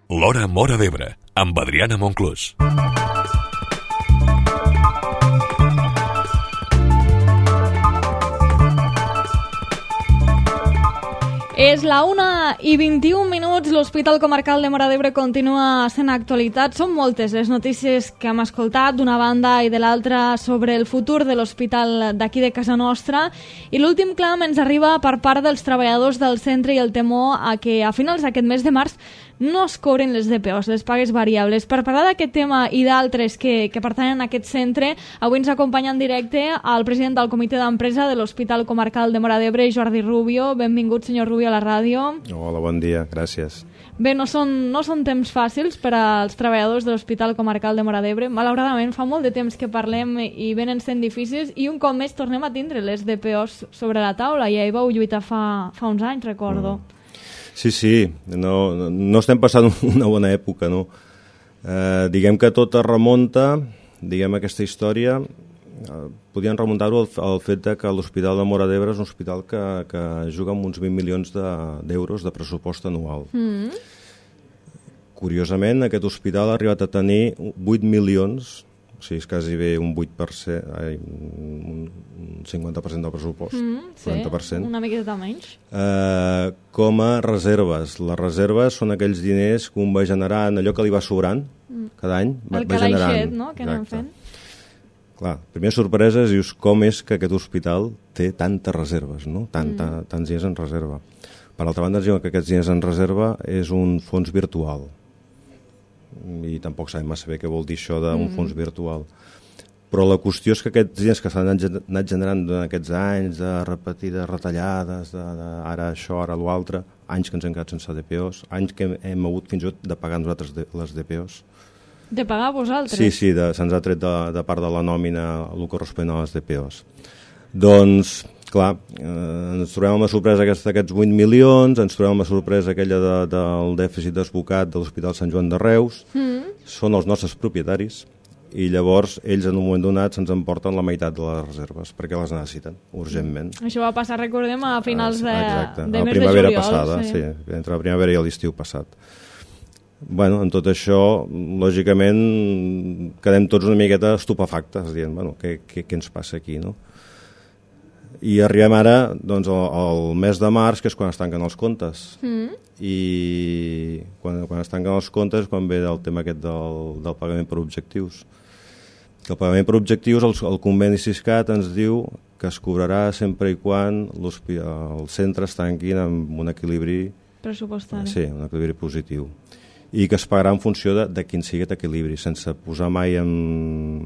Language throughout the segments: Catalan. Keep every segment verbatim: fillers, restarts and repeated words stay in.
L'Hora Móra d'Ebre, amb Adriana Monclús. És la una i vint-i-un minuts, l'Hospital Comarcal de Móra d'Ebre continua sent actualitat. Són moltes les notícies que hem escoltat d'una banda i de l'altra sobre el futur de l'hospital d'aquí de casa nostra, i l'últim clam ens arriba per part dels treballadors del centre i el temor a que a finals d'aquest mes de març no es cobren les D P Os, les pagues variables. Per parlar d'aquest tema i d'altres que, que pertanyen a aquest centre, avui ens acompanya en directe el president del comitè d'empresa de l'Hospital Comarcal de Móra d'Ebre, Jordi Rubio. Benvingut, senyor Rubio, a la ràdio. Hola, bon dia, gràcies. Bé, no són, no són temps fàcils per als treballadors de l'Hospital Comarcal de Móra d'Ebre. Malauradament, fa molt de temps que parlem i venen sent difícils, i un cop més tornem a tindre les D P Os sobre la taula. Ja hi vau lluitar fa, fa uns anys, recordo. Mm. Sí, sí, no, no estem passant una bona època, no? Eh, diguem que tot es remunta, diguem, aquesta història, eh, podien remuntar-ho al, al fet de que l'Hospital de Móra d'Ebre és un hospital que, que juga amb uns vint milions d'euros de, de pressupost anual. Mm. Curiosament, aquest hospital ha arribat a tenir vuit milions, o sigui, és quasi bé un vuit per cent, ai, un cinquanta per cent del pressupost, mm, sí, quaranta per cent. Una miqueta menys. Eh, com a reserves. Les reserves són aquells diners que un va generant, allò que li va sobrant mm. cada any. El va generant. calaixet, no?, que anem fent. Clar, primera sorpresa és, dius, com és que aquest hospital té tantes reserves, no? Tant, mm. tants diners en reserva. Per altra banda, ens diuen que aquests diners en reserva és un fons virtual. I tampoc sabem massa bé què vol dir això d'un mm. fons virtual. Però la qüestió és que aquests diners que s'han anat generant durant aquests anys de repetides retallades, de, de ara això, ara l'altre, anys que ens hem quedat sense D P Os, anys que hem, hem hagut fins i tot de pagar nosaltres de, les D P Os. De pagar vosaltres? Sí, sí, se'ns ha tret de, de part de la nòmina el corresponent a les D P Os. Doncs, clar, eh, ens trobem amb la sorpresa d'aquests vuit milions, ens trobem amb la sorpresa aquella de, del dèficit desbocat de l'Hospital Sant Joan de Reus, mm. són els nostres propietaris, i llavors ells en un moment donat se'ns emporten la meitat de les reserves, perquè les necessiten, urgentment. Mm. Això va passar, recordem, a finals de, Exacte, de mes de primavera juliol. Passada, sí. sí, entre la primavera i l'estiu passat. Bueno, en tot això, lògicament, quedem tots una miqueta estupefactes, dient, bueno, què, què, què ens passa aquí, no? I arribem ara doncs, al, al mes de març, que és quan es tanquen els comptes. Mm. I quan, quan es tanquen els comptes, quan ve el tema aquest del, del pagament per objectius. Que el pagament per objectius, el, el conveni Siscat ens diu que es cobrarà sempre i quan els centres tanquin amb un equilibri pressupostari. Sí, un equilibri positiu. I que es pagarà en funció de, de quin sigui aquest equilibri, sense posar mai en,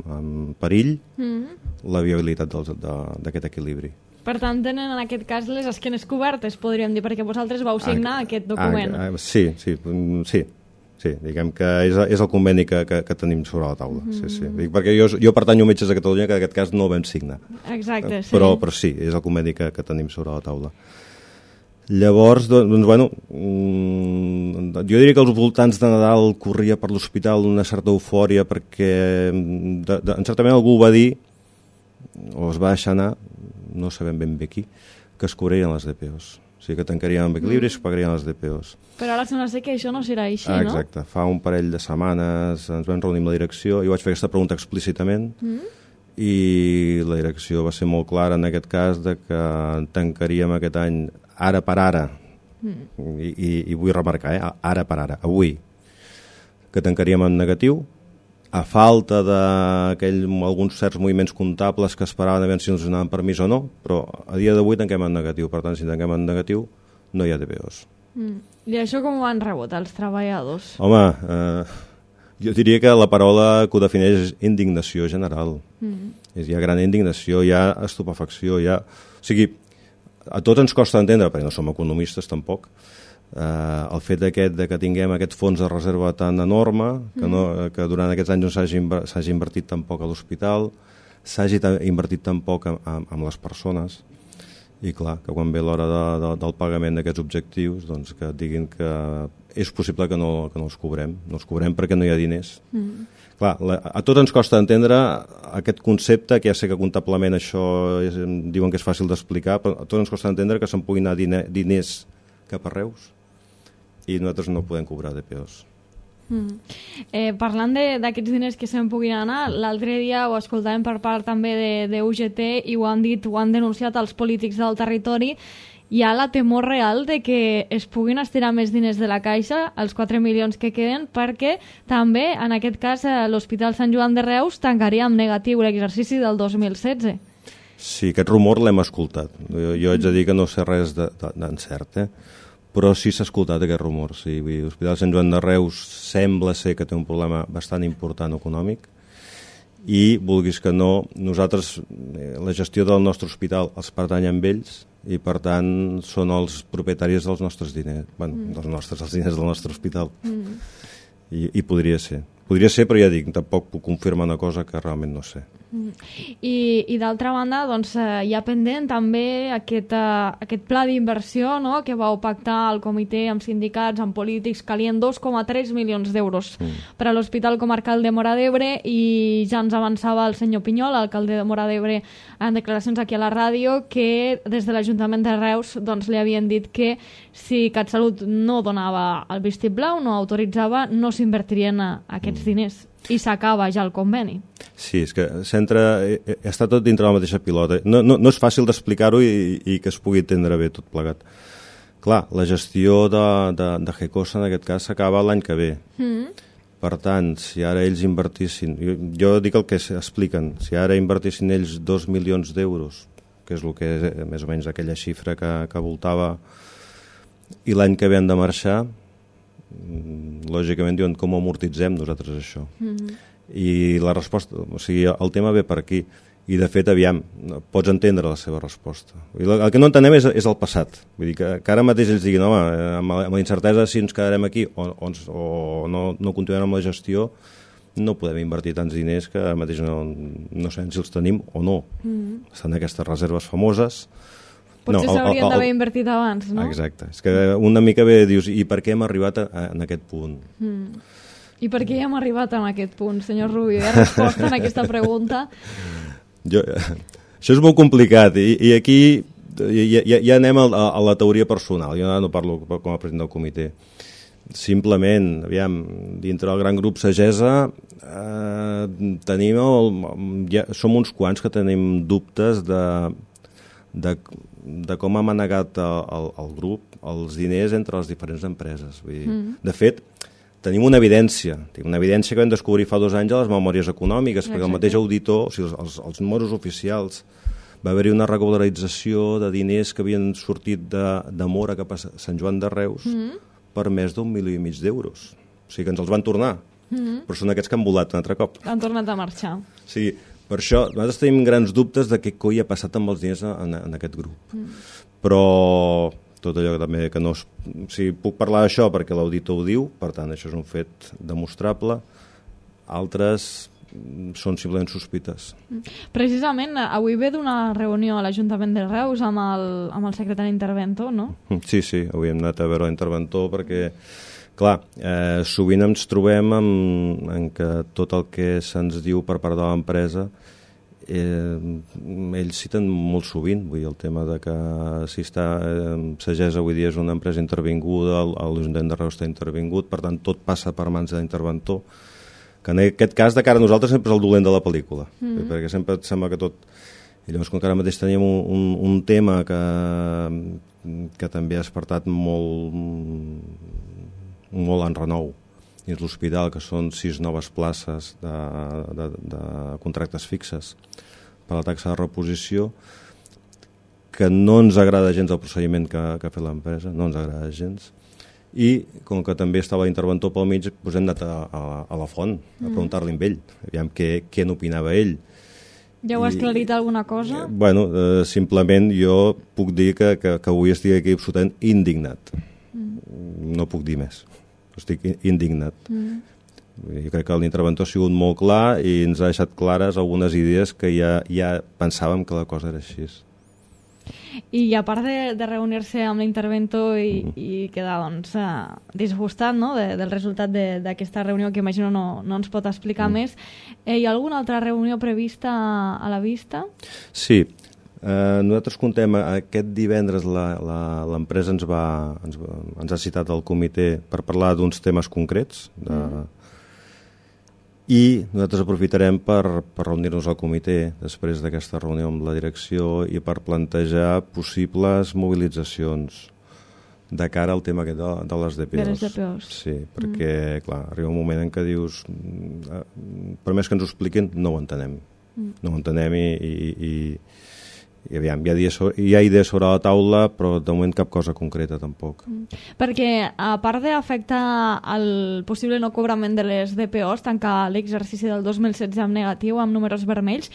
en perill mm. la viabilitat d'aquest equilibri. Per tant, tenen en aquest cas les esquenes cobertes, podríem dir, perquè vosaltres vau signar ah, aquest document. Ah, sí, sí, sí, sí, diguem que és, és el conveni que, que, que tenim sobre la taula. Mm. Sí, sí. Perquè jo, jo pertanyo a Metges de Catalunya, que en aquest cas no el vam signar. Exacte, sí. Però, però sí, és el conveni que, que tenim sobre la taula. Llavors, doncs, bueno, jo diria que als voltants de Nadal corria per l'hospital una certa eufòria perquè, de, de, en certament algú va dir, o es va deixar anar, no sabem ben bé qui, que es cobrarien les D P Os. O sigui, que tancarien amb equilibri i es pagarien les D P Os. Però ara sembla ser que això no serà així, ah, no? Exacte. Fa un parell de setmanes ens vam reunir amb la direcció i vaig fer aquesta pregunta explícitament mm. i la direcció va ser molt clara en aquest cas de que tancaríem aquest any ara per ara, mm. I, i, i vull remarcar, eh? ara per ara, avui, que tancaríem en negatiu, a falta d'alguns certs moviments comptables que esperaven a veure si ens donaven permís o no, però a dia d'avui tanquem en negatiu, per tant, si tanquem en negatiu, no hi ha D P Os. Mm. I això com ho han rebut els treballadors? Home, eh, jo diria que la paraula que ho defineix és indignació general. Mm. Hi ha gran indignació, hi ha estupefacció, hi ha... O sigui, a tots ens costa entendre, perquè no som economistes tampoc, eh, el fet aquest de que tinguem aquest fons de reserva tan enorme, que, no, que durant aquests anys no s'hagi invertit tan poc a l'hospital, s'hagi invertit tan poc amb, amb les persones, i clar, que quan ve l'hora de, de, del pagament d'aquests objectius, doncs que diguin que és possible que no, que no els cobrem. No els cobrem perquè no hi ha diners. Mm. Clar, la, a tots ens costa entendre aquest concepte, que ja sé que comptablement això és, diuen que és fàcil d'explicar, però a tots ens costa entendre que se'n puguin anar diner, diners cap a Reus i nosaltres no podem cobrar D P Os. Mm. Eh, parlant d'aquests diners que se'n puguin anar, l'altre dia ho escoltàvem per part també de, de U G T i ho han dit, ho han denunciat els polítics del territori. Hi ha la temor real de que es puguin estirar més diners de la Caixa, els quatre milions que queden, perquè també, en aquest cas, l'Hospital Sant Joan de Reus tancaria amb negatiu l'exercici del dos mil setze. Sí, aquest rumor l'hem escoltat. Jo, jo haig de dir que no sé res d'encert, eh? Però sí s'ha escoltat aquest rumor. Sí. L'Hospital Sant Joan de Reus sembla ser que té un problema bastant important econòmic i, vulguis que no, nosaltres, la gestió del nostre hospital els pertany amb ells i, per tant, són els propietaris dels nostres diners, bueno, mm. dels nostres, els diners del nostre hospital. Mm. I, I podria ser. Podria ser, però ja dic, tampoc puc confirmar una cosa que realment no sé. Mm. I, i d'altra banda, doncs, eh, hi ha pendent també aquest, eh, aquest pla d'inversió, no?, que vau pactar el comitè amb sindicats, amb polítics, calien dos coma tres milions d'euros mm. per a l'Hospital Comarcal de Móra d'Ebre, i ja ens avançava el senyor Pinyol, alcalde de Móra d'Ebre, en declaracions aquí a la ràdio, que des de l'Ajuntament de Reus doncs, li havien dit que si CatSalut no donava el vistiplau, no autoritzava, no s'invertirien aquests diners. I s'acaba ja el conveni. Sí, és que s'entra, està tot dintre la mateixa pilota. No, no, no és fàcil d'explicar-ho i, i que es pugui entendre bé tot plegat. Clar, la gestió de, de, de GECOSA en aquest cas s'acaba l'any que ve. Mm. Per tant, si ara ells invertissin, jo, jo dic el que expliquen, si ara invertissin ells dos milions d'euros, que és el que és més o menys aquella xifra que, que voltava, i l'any que ve han de marxar, lògicament diuen com amortitzem nosaltres això. Mm-hmm. I la resposta, o sigui, el tema ve per aquí, i de fet, aviam, pots entendre la seva resposta. El que no entenem és, és el passat. Vull dir que, que ara mateix ells diguin, home, amb la, amb la incertesa si ens quedarem aquí o, o, o no, no continuem amb la gestió, no podem invertir tants diners que ara mateix no, no sabem si els tenim o no. Mm-hmm. Estan aquestes reserves famoses. Potser no, s'haurien d'haver invertit abans, no? Exacte. És que una mica bé dius, i per què hem arribat a, a, en aquest punt? Mm. I per què hem arribat en aquest punt, senyor Rubio? Hi ha resposta en aquesta pregunta? Jo, això és molt complicat, i, i aquí ja, ja, ja anem a, a la teoria personal. Jo no parlo com a president del comitè. Simplement, aviam, dintre del gran grup Sagesa eh, tenim el, ja, som uns quants que tenim dubtes de... de de com ha manegat el, el, el grup els diners entre les diferents empreses. Vull dir, mm. De fet, tenim una evidència, tenim una evidència que vam descobrir fa dos anys a les memòries econòmiques, Exacte. Perquè el mateix auditor, o sigui, els, els números oficials, va haver-hi una regularització de diners que havien sortit de, de Móra cap a Sant Joan de Reus mm. per més d'un milió i mig d'euros. O sigui que ens els van tornar, mm. però són aquests que han volat un altre cop. Han tornat a marxar. Sí, per això, nosaltres tenim grans dubtes de què coi ha passat amb els diners en, en aquest grup. Mm. Però tot allò que també que no... O sigui, puc parlar d'això perquè l'auditor ho diu, per tant, això és un fet demostrable. Altres són simplement sospites. Precisament, avui ve d'una reunió a l'Ajuntament de Reus amb el, amb el secretari interventor, no? Sí, sí, avui hem anat a veure l'interventor perquè... Clar, eh, sovint ens trobem amb, en que tot el que se'ns diu per part de l'empresa eh, ells citen molt sovint, vull dir, el tema de que si està eh, Sagesa avui dia és una empresa intervinguda, l'Ajuntament de Reus està intervingut, per tant tot passa per mans de l'interventor, que en aquest cas de cara a nosaltres sempre és el dolent de la pel·lícula, mm. perquè sempre et sembla que tot... I llavors, com que ara mateix teníem un, un, un tema que, que també ha despertat molt... molt en renou dins l'hospital, que són sis noves places de, de, de contractes fixes per la taxa de reposició, que no ens agrada gens el procediment que, que ha fet l'empresa, no ens agrada gens, i com que també estava l'interventor pel mig, doncs hem anat a, a, a la font a preguntar-li amb ell, aviam què, què n'opinava ell. Ja ho has aclarit alguna cosa? Eh, bueno, eh, simplement jo puc dir que, que, que avui estic aquí absolutament indignat. Mm. No puc dir més. Estic indignat. Mm. Jo crec que l'interventor ha sigut molt clar i ens ha deixat clares algunes idees que ja, ja pensàvem que la cosa era així. I a part de, de reunir-se amb l'interventor i, mm. i quedar doncs, uh, disgustat, no?, de, del resultat d'aquesta reunió, que imagino no, no ens pot explicar mm. més, eh, hi ha alguna altra reunió prevista a la vista? Sí. Eh, nosaltres contem, aquest divendres la, la, l'empresa ens, va, ens, va, ens ha citat al comitè per parlar d'uns temes concrets de, mm. i nosaltres aprofitarem per, per reunir-nos al comitè després d'aquesta reunió amb la direcció i per plantejar possibles mobilitzacions de cara al tema aquest de, de les D P Os. De les D P Os. Sí, perquè mm. clar, arriba un moment en què dius per més que ens ho expliquin no ho entenem. Mm. No ho entenem i, i, i i aviam, hi ha, idees, hi ha idees sobre la taula, però de moment cap cosa concreta tampoc. Mm. Perquè, a part d'afectar el possible no cobrament de les D P Os, tancar l'exercici del dos mil setze amb negatiu, amb números vermells,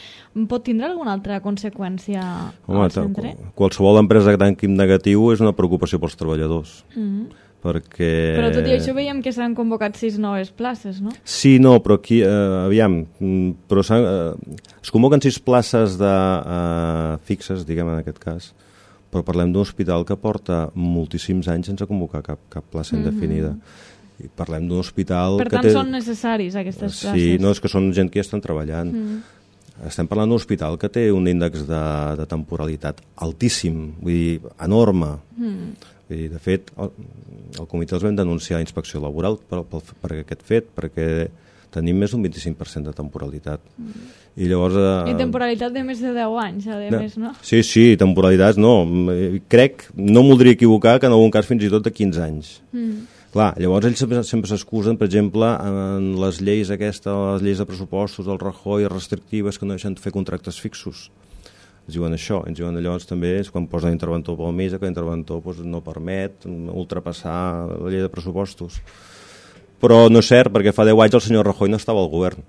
pot tindre alguna altra conseqüència Home, al centre? Qualsevol empresa que tanqui amb negatiu és una preocupació pels treballadors. Mm-hmm. Perquè... Però tot i això veiem que s'han convocat sis noves places, no? Sí, no, però aquí, eh, aviam, però eh, es convoquen sis places de, eh, fixes, diguem en aquest cas, però parlem d'un hospital que porta moltíssims anys sense convocar cap, cap plaça mm-hmm. indefinida. I parlem d'un hospital per que tant, té... són necessaris aquestes sí, places. Sí, no, és que són gent que ja estan treballant. Mm. Estem parlant d'un hospital que té un índex de, de temporalitat altíssim, vull dir, enorme. Mm. I, de fet, el, el comitè els vam denunciar a inspecció laboral per, per, per aquest fet, perquè tenim més d'un vint-i-cinc per cent de temporalitat. Mm. I llavors... Eh, I temporalitat de més de deu anys, a no, més, no? Sí, sí, temporalitats no. Crec, no em voldria equivocar, que en algun cas fins i tot de quinze anys. Mm. Clar, llavors ells sempre, sempre s'excusen, per exemple, en les lleis aquestes, les lleis de pressupostos, del Rajoy, restrictives, que no deixen de fer contractes fixos. Ens diuen això, ens diuen llavors també és quan posen l'interventor pel mig, que l'interventor doncs, no permet ultrapassar la llei de pressupostos. Però no és cert, perquè fa deu anys el senyor Rajoy no estava al govern.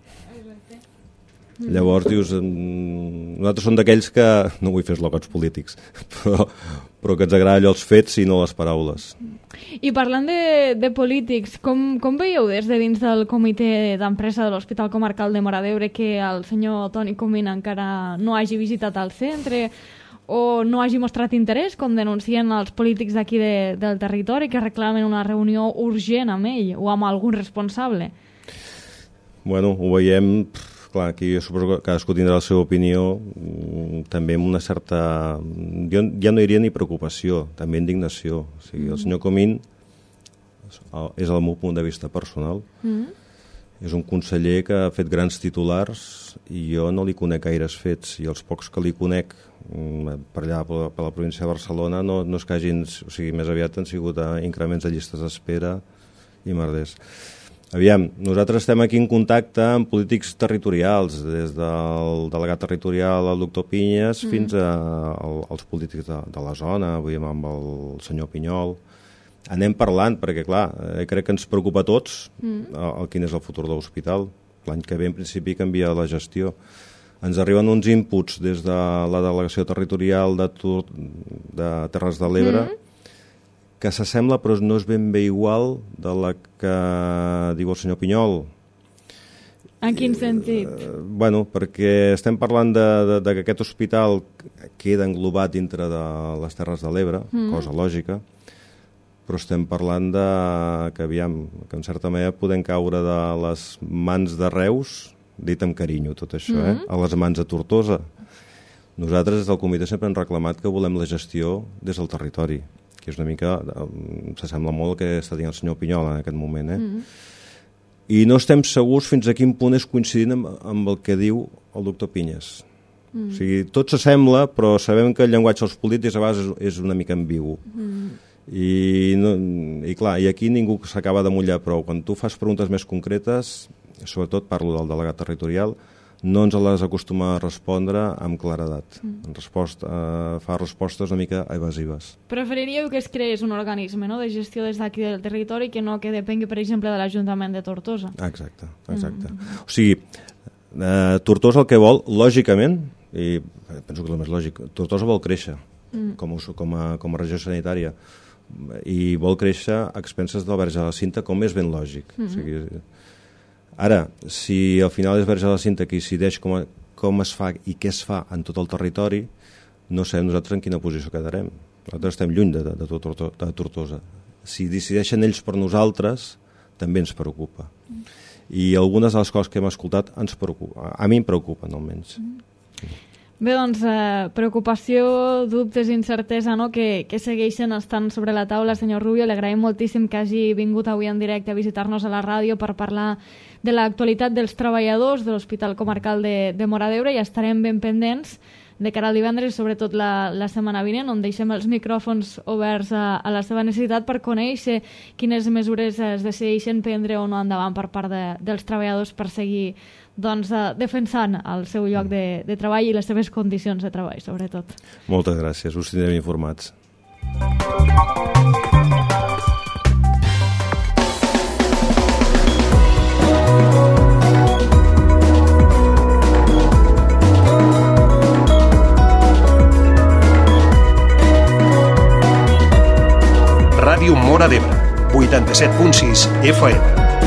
Mm. Llavors dius, nosaltres som d'aquells que, no vull fer eslògans polítics, però, però que ens agrada allò els fets i no les paraules. I parlant de, de polítics, com, com veieu des de dins del comitè d'empresa de l'Hospital Comarcal de Móra d'Ebre que el senyor Toni Comín encara no hagi visitat el centre o no hagi mostrat interès, com denuncien els polítics d'aquí de, del territori que reclamen una reunió urgent amb ell o amb algun responsable? Bueno, ho veiem... Clar, aquí jo suposo que cadascú tindrà la seva opinió, també amb una certa... Jo ja no diria ni preocupació, també indignació. O sigui, el senyor Comín és el meu punt de vista personal. Mm. És un conseller que ha fet grans titulars i jo no li conec gaires fets, i els pocs que li conec per allà, per la província de Barcelona, no, no és que hagin... O sigui, més aviat han sigut increments de llistes d'espera i merders. Aviam, nosaltres estem aquí en contacte amb polítics territorials, des del delegat territorial, el doctor Pinyes, mm. fins a, a, als polítics de, de la zona, vull dir, amb el senyor Pinyol. Anem parlant, perquè, clar, eh, crec que ens preocupa a tots mm. el, el, quin és el futur de l'hospital. L'any que ve, en principi, canvia la gestió. Ens arriben uns inputs des de la delegació territorial de, de Terres de l'Ebre, mm. que s'assembla, però no és ben bé igual de la que diu el senyor Pinyol. En quin sentit? Eh, bueno, perquè estem parlant de, de, de que aquest hospital queda englobat dintre de les Terres de l'Ebre, mm. cosa lògica, però estem parlant de que, aviam, que en certa manera podem caure de les mans de Reus, dit amb carinyo tot això, mm. eh, a les mans de Tortosa. Nosaltres des del comitè sempre hem reclamat que volem la gestió des del territori, que és una mica, s'assembla molt el que està dient el senyor Pinyol en aquest moment, eh? Mm. I no estem segurs fins a quin punt és coincidint amb, amb el que diu el doctor Pinyes. Mm. O sigui, tot s'assembla, però sabem que el llenguatge dels polítics a vegades és, és una mica ambigu. Mm. I, no, i clar, i aquí ningú s'acaba de mullar prou. Quan tu fas preguntes més concretes, sobretot parlo del delegat territorial, no ens les acostuma a respondre amb claredat. Mm. En resposta, eh, fa respostes una mica evasives. Preferiríeu que es creés un organisme, no?, de gestió des d'aquí del territori que no que depengui, per exemple, de l'Ajuntament de Tortosa. Exacte, exacte. Mm. O sigui, eh, Tortosa el que vol, lògicament, i penso que és el més lògic, Tortosa vol créixer mm. com, a, com, a, com a regió sanitària i vol créixer a expenses del Verge de la Cinta, com és ben lògic. Mm. O sigui, ara, si al final és Verge de la Cinta que decideix com, a, com es fa i què es fa en tot el territori, no sabem nosaltres en quina posició quedarem. Nosaltres estem lluny de, de, de, de Tortosa. Si decideixen ells per nosaltres, també ens preocupa. I algunes de les coses que hem escoltat ens preocupa. A mi em preocupen, almenys. Bé, doncs, eh, preocupació, dubtes, incertesa, no?, que, que segueixen estant sobre la taula. Senyor Rubio, li agraïm moltíssim que hagi vingut avui en directe a visitar-nos a la ràdio per parlar de l'actualitat dels treballadors de l'Hospital Comarcal de, de Móra d'Ebre, i estarem ben pendents de cara al divendres, sobretot la, la setmana vinent, on deixem els micròfons oberts a, a la seva necessitat per conèixer quines mesures es decideixen prendre o no endavant per part de, dels treballadors per seguir doncs, eh, defensant el seu lloc de, de treball i les seves condicions de treball, sobretot. Moltes gràcies, us tindrem informats. Ràdio Móra d'Ebre, vuitanta-set punt sis F M.